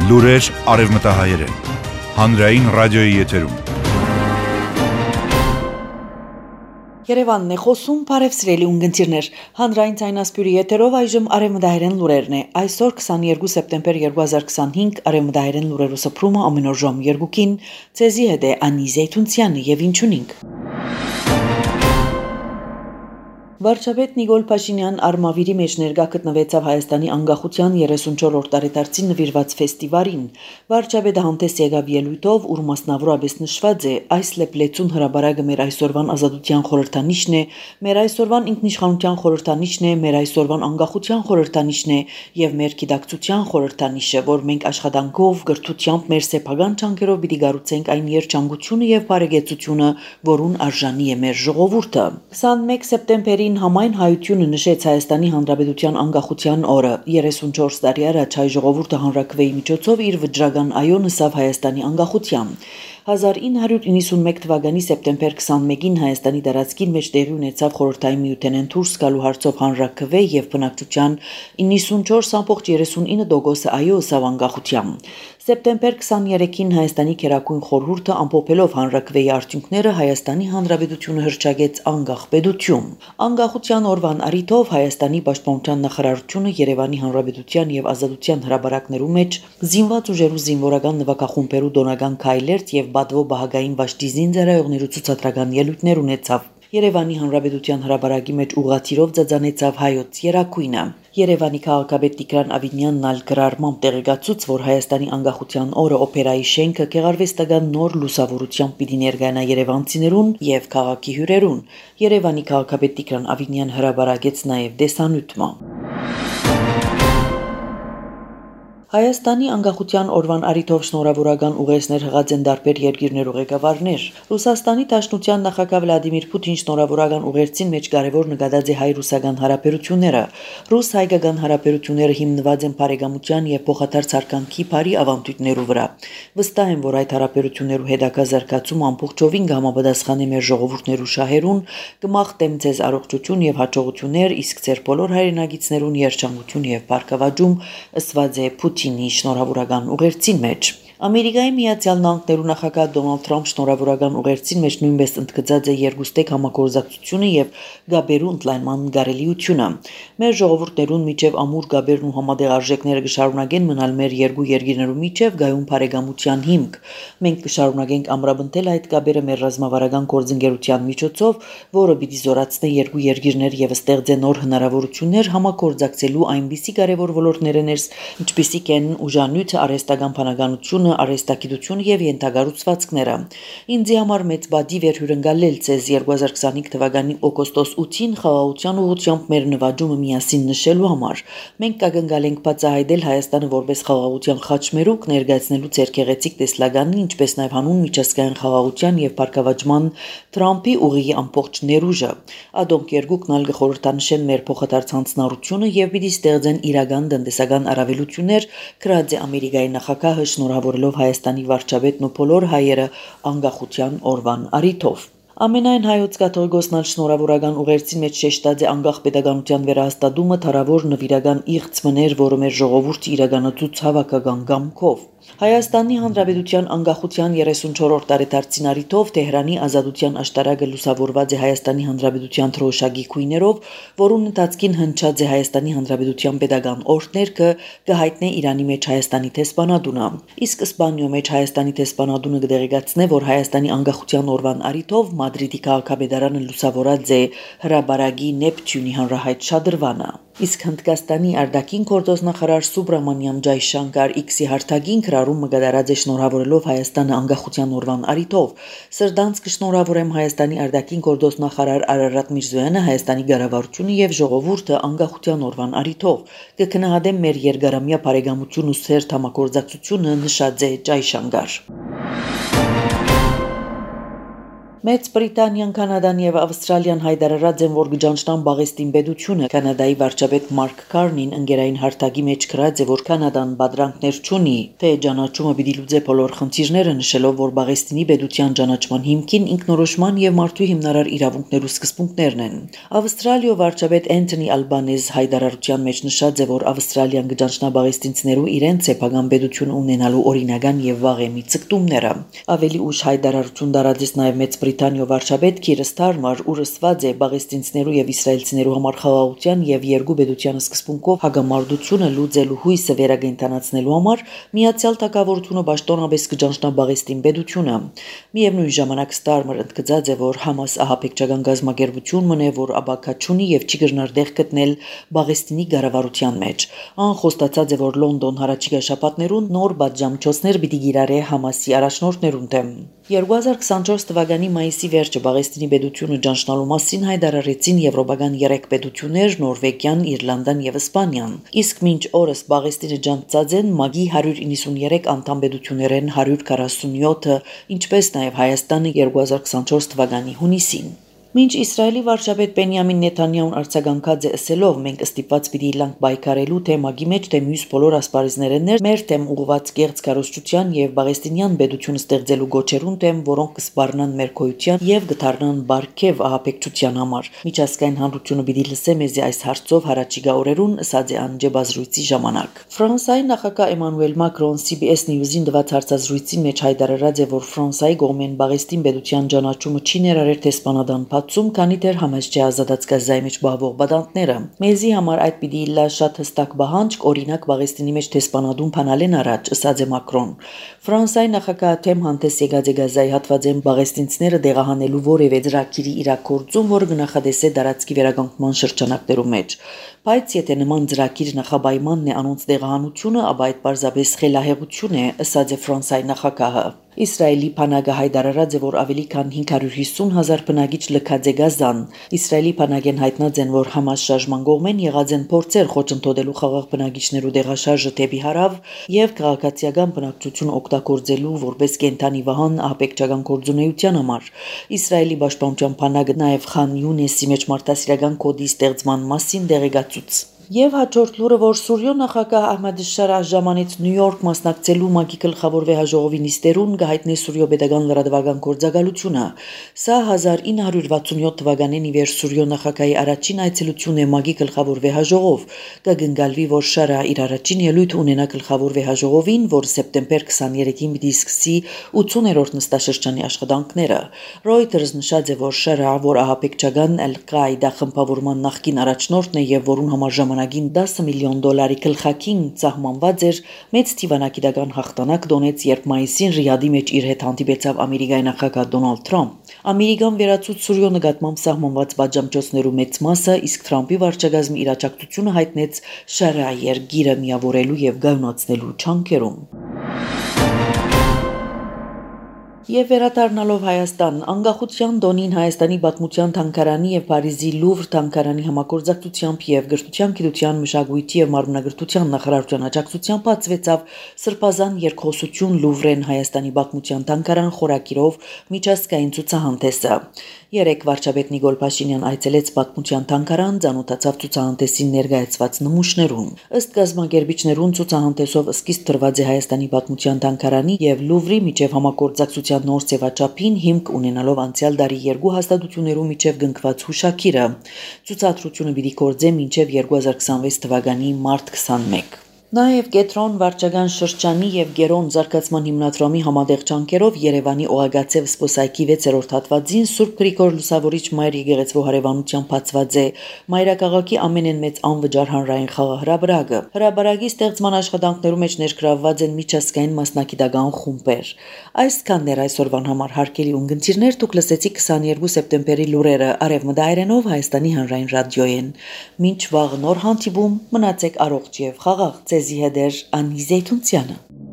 Լուրեր արևմտահայերեն, հանրային ռադիոյի եթերում։ Երևանն է խոսում, բարև սիրելի ունգընտիրներ, հանրային ցայնասպյուրի եթերով այժմ արևմտահայերեն լուրերն է, այսօր 22 սեպտեմբեր 2025 արևմտահայերեն լուրերու սփռումը ամեն օր ժամ 2-ին, ցեզի հետ է Անի Զեյթունցյանը եւ ինչունինք։ Վարչապետ Նիկոլ Փաշինյան Արմավիրի մեջ ներկա գտնվեցավ Հայաստանի անկախության 34-րդ տարեդարձին նվիրված ֆեստիվալին։ Վարչապետը հանդես եկավ ելույթով, ուր մասնավորապես նշված է այս լեփլեցուն հրաբարակը մեր այսօրվան ազատության խորհրդանիշն է, մեր այսօրվան ինքնիշխանության խորհրդանիշն է, մեր այսօրվան անկախության խորհրդանիշն է եւ մեր գիտակցության խորհրդանիշը, որ մենք աշխատանքով, գրթությամբ, մեր սեփական ճանկերով պիտի գառուցենք այն երջանկությունը եւ բարեկեցությունը, որուն արժանի է մեր ժողովուրդը։ 21 սեպտեմբերի համայն հայությունը նշեց Հայաստանի Հանրապետության անկախության օրը 34 տարի առաջ հայ ժողովուրդը հանրաքվեի միջոցով իր վճռական այո նսավ Հայաստանի անկախության 1991 թվականի սեպտեմբեր 21-ին Հայաստանի տարածքին մեջ տեղի ունեցավ խորհրդային միութենեն դուրս գալու հարցով հանրաքվե եւ բնակչության 94.39% այո սավ անկախության Սեպտեմբեր 23-ին Հայաստանի Քերակույն խորհուրդը ամփոփելով հանրաքվեի արդյունքները Հայաստանի Հանրապետությունը հռչակեց անկախ պետություն։ Անկախության օրվան առիթով Հայաստանի Պաշտպանության նախարարությունը Երևանի Հանրապետության եւ Ազատության հրապարակներու մեջ զինված ուժերու զինվորական նվագախումբերու դոնական քայլեր եւ բադվո բահագային վաշտի զինծառայողներու ցուցադրական ելույթներ ունեցավ։ Երևանի Հանրապետության հրապարակի մեջ ուղղաթիռով ծածանեցավ հայոց երակույնը։ Երևանի քաղաքապետ Տիգրան Ավինյանն ալ գրառմամբ տեղեկացուց, որ Հայաստանի անկախության օրը օպերայի շենքը գեղարվեստական նոր լուսավորությամբ պիտի ներկայանա երևանցիներուն եւ քաղաքի հյուրերուն։ Երևանի քաղաքապետ Տիգրան Ավինյան հրապարակեց նաեւ դեսանյութը։ Հայաստանի անկախության օրվան առիթով շնորհավորական ուղերձներ հղած են տարբեր երկիրներու ղեկավարներ։ Ռուսաստանի Դաշնության նախագահ Վլադիմիր Պուտին շնորհավորական ուղերձին մեջ կարևոր նկատած է հայ-ռուսական հարաբերությունները։ Ռուս-հայկական հարաբերությունները հիմնված են բարեկամության եւ փոխադարձ հարկանքի բարի ավանդույթներու վրա։ Վստահ եմ, որ այդ հարաբերություններու հետագա զարգացումը ամբողջովին կհամապատասխանի մեր ժողովուրդներու շահերուն, կմաղթեմ ձեզ առողջություն եւ հաջողություններ, իսկ ձեր բոլոր հայրենագիտներուն երջանկություն եւ բարգավաճում, ըսված է Պուտինի շնորհավորական ուղերձին մեջ։ Ամերիկայի Միացյալ Նահանգներու նախագահ Դոնալդ Թրամփ շնորհավորական ուղերձին մեջ նույնպես ընդգծած է երկուստեք համագործակցությունը եւ գաբերու ընդլայնման կարելիությունը։ Մեր ժողովուրդներուն միջև ամուր գաբերն ու համատեղ արժեքները կշարունակեն մնալ մեր երկու երկիրներու միջև գայուն բարեկամության հիմք։ Մենք կշարունակենք ամրապնդել այդ գաբերը մեր ռազմավարական գործընկերության միջոցով, որը պիտի զորացնի երկու երկիրներ եւ ստեղծի նոր հնարավորություններ համագործակցելու այնպիսի կարևոր ոլորտներներս, ինչպիսիք են ուժանյութը, արհեստական բանականությունը, արհեստագիտությունը եւ ենթագառուցվածքները։ Ինձի համար մեծ բադի վեր հյուրընկալել ցեզ 2025 թվականի օգոստոս 8-ին խաղաղության ուղղությամբ մեր նվաճումը միասին նշելու համար։ Մենք կգնկալենք բացահայտել Հայաստանը որպես խաղաղության խաչմերուկ, ներկայացնելու ձեր գեղեցիկ տեսլականին, ինչպես նաեւ հանուն միջազգային խաղաղության եւ բարգավաճման Թրամփի ուղիի ամբողջ ներուժը։ Ադոնք երկուքն ալ կխորհրդանշեն մեր փոխադարձ հանձնառությունը եւ պիտի ստեղծեն իրական տնտեսական առավելություններ, գրած է Ամերիկայի նախագահը շնորհավորելով Հայաստանի վարչապետն ու բոլոր հայերը անկախության օրվան առիթով։ Ամենայն հայոց կաթողիկոսն ալ շնորհավորական ուղերձին մեջ շեշտած է անկախ պետականության վերահաստատումը թարավոր նվիրական իղծ մներ, որը մեր ժողովուրդը իրականացուց հավաքական կամքով։ Հայաստանի Հանրապետության անկախության 34-րդ տարեդարձին առիթով Թեհրանի ազատության աշտարակը լուսավորված է Հայաստանի Հանրապետության թրոշակի քույներով, որուն ընթացքին հնչած է Հայաստանի Հանրապետության պետական օրհներգը, կհայտնի Իրանի մեջ Հայաստանի տեսփանադունը։ Իսկ Իսպանիո մեջ Հայաստանի տեսփանադունը կդեղեկացնե, որ Հայաստանի անկախության օրվան առիթով Մադրիդի քաղաքապետարանը լուսավորած է հրաբարակի Նեպտյունի հանրահայտ շադրվանը։ Իսկ Հնդկաստանի արտաքին գործոստնախարար Սուբրամանիամ Ջայշանկար X-ի հարթակին գրառումը կատարած է շնորհավորելով Հայաստանը անկախության օրվան առիթով։ Սրդանց կշնորհավորեմ Հայաստանի արտաքին գործոստնախարար Արարատ Միրզոյանը, Հայաստանի կառավարությունը եւ ժողովուրդը անկախության օրվան առիթով։ Կգնահատեմ մեր երկարամյա բարեկամություն ու սերտ համագործակցությունը, նշած է Ջայշանկար։ Մեծ Բրիտանիան, Կանադան եւ Ավստրալիան հայտարարած են, որ գճանչնան բաղեստին պետությունը։ Կանադայի վարչապետ Մարկ Կարնին ընկերային հարթակի մեջ գրած է, որ Կանադան բادرանքներ չունի, թե ճանաչումը պիտի լուծի բոլոր խնդիրները, նշելով, որ բաղեստինի պետության ճանաչման հիմքին ինքնորոշման եւ մարդու հիմնարար իրավունքներու սկզբունքներն են։ Ավստրալիո վարչապետ Անթոնի Ալբանեզ հայտարարության մեջ նշած է, որ Ավստրալիան գճանչնա բաղեստինցիներու իրենց սեփական պետություն ունենալու օրինական եւ վաղեմի ցկտումները։ Ավելի ուշ հայտարարություն դարածեց նաեւ Մեծ Բրիտանիո վարչապետ Քիր Ստարմար, ուր ասված է բաղեստինցիներու եւ իսրայելցիներու համար խաղաղության եւ երկու պետության սկզբունքով հագամարտությունը լուծելու հույսը վերակենդանացնելու համար Միացյալ Թագավորությունը պաշտոնապես կճանչնա բաղեստին պետությունը։ Միևնույն ժամանակ Ստարմար ընդգծած է, որ Համաս ահաբեկչական գազམ་ակերպություն մնե, որ աբակա չունի եւ չի գտնար դեղ գտնել Բաղեստինի կառավարության մեջ։ Ան խոստացած է, որ Լոնդոն հարաճիգա շաբաթներուն նոր բաժամչոցներ պիտի գիրարե Համասի առաջնորդներուն դեմ։ 2024 թվականի մայիսի վերջը Բաղեստինի պետությունը ճանչնալու մասին հայտարարեցին եվրոպական 3 պետություններ՝ Նորվեգիան, Իռլանդան եւ Իսպանիան։ Իսկ մինչ օրս Բաղեստինը ճանչած են ՄԱԳ-ի 193 անդամ պետություններեն 147-ը, ինչպես նաեւ Հայաստանը 2024 թվականի հունիսին։ Մինչ Իսրայելի վարչապետ Բենյամին Նեթանյահուն արձագանքած է ասելով, մենք ստիպված պիտի լանք բայկարելու թե ՄԱԳ-ի մեջ թե մյուս բոլոր ասպարեզներն մեր թեմ ուղղված կեղծ կառուցչության եւ բաղեստինյան պետություն ստեղծելու գոչերուն թեմ, որոնք կսպառնան մեր քոյության եւ գթարնան բարգեւ ահաբեկչության համար։ Միջազգային հանրությունը պիտի լսե մեզի այս հարցով հարաճիգա օրերուն, ասած է Անջե բազրույցի ժամանակ։ Ֆրանսիայի նախագահ Էմանուել Մակրոն CBS News-ին դված հարցազրույցի մեջ հայտարարած է, որ Ֆրանսիայի կողմեն Բաղեստին պետության ճանաչումը չի ներառել թե սպանադան քանի դեռ համաձ չի ազատած Գազայի մեջ բավող բադանտները։ Մեզի համար այդ պիտի լա շատ հստակ բահանջ, օրինակ Բաղեստինի մեջ թե սպանադուն փանալեն առաջ, ասաց է Մակրոն։ Ֆրանսիայի նախագահը թեմ հանդես եկած է Գազայի հատվածեն բաղեստինցիները դեղահանելու որևէ ծրագիրի իրագործում, որը գնահատեսե դարածքի վերականգնման շրջանակներում մեջ։ Բայց եթե նման ծրագիր նախաբայմանն է անոնց դեղահանությունը, ապա այդ պարզապես խելահեղություն է, ասաց է Ֆրանսիայի նախագահը։ Իսրայելի բանակը հայտարարած է, որ ավելի քան 550,000 բնակիչ լքած է Գազան։ Իսրայելի բանակեն հայտնած են, որ Համաս շարժման կողմեն եղած են փորձեր խոչընդոտելու խաղաղ բնակիչներու դեղաշարժը դեպի հարավ եւ քաղաքացիական բնակչություն օգտագործելու որպես կենթանի վահան ահաբեկչական գործունեության համար։ Իսրայելի պաշտպանության բանակը նաեւ Խան Յունեսի մեջ մարդասիրական կոդի ստեղծման մասին դեղեկացուց։ Եվ հաջորդ լուրը, որ Սուրիո նախագահ Ահմեդ Շարահ ժամանից Նյու Յորք մասնակցելու ՄԱԳ-ի գլխավոր վեհաժողովի նիստերուն կհայտնի Սուրիո պետական լրատվական գործակալությունը։ Սա 1967 թվականին ի վեր Սուրիո նախագահի առաջին այցելությունն է ՄԱԳ-ի գլխավոր վեհաժողով։ Կգնկալվի, որ Շարահ իր առաջին ելույթ ունենա գլխավոր վեհաժողովին, որ սեպտեմբեր 23-ին պիտի սկսի 80-րդ նստաշրջանի աշխատանքները։ Reuters նշած է, որ Շարահ, որ ահաբեկչական Al-Qaida խմբավորման նախկին առաջնորդն է եւ որուն համար ժամանակին $10 միլիոն գլխակին սահմանված էր, մեծ թիվանակիտական հաղթանակ դոնեց, երբ մայիսին Ռիադի մեջ իր հետ հանդիպեցավ Ամերիկայի նախագահ Դոնալդ Թրամփ։ Ամերիկան վերացուց Սուրիո նկատմամբ սահմանված բաժամճոցներու մեծ մասը, իսկ Թրամփի վարչակազմի իր աջակցությունը հայտնեց Շարահի երկիրը միավորելու եւ գայունացնելու չանքերում։ Եվ վերադառնալով Հայաստան, անկախության տոնին Հայաստանի պատմության թանգարանի եւ Փարիզի Լուվր թանգարանի համագործակցությամբ եւ Գրթության, Գիտության, Մշակույթի եւ Մարմնագրթության նախարարության աջակցությամբ բացվեցավ Սրբազան երկխոսություն Լուվրեն Հայաստանի պատմության թանգարան խորակիրով միջազգային ցուցահանդեսը։ Երեք վարչապետ Նիկոլ Փաշինյան այցելեց պատմության թանգարան, ծանոթացավ ցուցահանդեսին ներկայացված նմուշներուն։ Ըստ կազմակերպիչներուն ցուցահանդեսով սկիզբ դրված է Հայաստանի պատմության թանգարանի եւ Լուվրի միջև համագործակցության նոր ծեվաչափին հիմք ունենալով անցյալ դարի երկու հաստատություններու միջև գնկված հուշագիրը։ Ցուցադրությունը պիտի գործե մինչև 2026 թվականի մարտ 21։ Նաև Կետրոն վարչական շրջանի եւ Գերոն զարգացման հիմնադրամի համատեղ ջանքերով Երևանի Օղագացև սպոսայքի 6-րդ հատվածին Սուրբ Գրիգոր Լուսավորիչ Մայր եկեղեցու հարևանությամբ բացված է մայրաքաղաքի ամենեն մեծ անվճար հանրային խաղահրապարակը։ Հրապարակի ստեղծման աշխատանքներում մեջ ներգրավված են միջազգային մասնակիտական խումբեր։ Այսքանն էր այսօրվան համար հարգելի ունգընտիրներ, դուք լսեցիք 22 սեպտեմբերի լուրերը Արևմտայերենով Հայաստանի հանրային ռադիոյեն։ Մինչ վաղ նոր հանդիպում մնացեք առողջ եւ խաղաղ։ Ձեզի հետ էր Անի Զեյթունցյանը։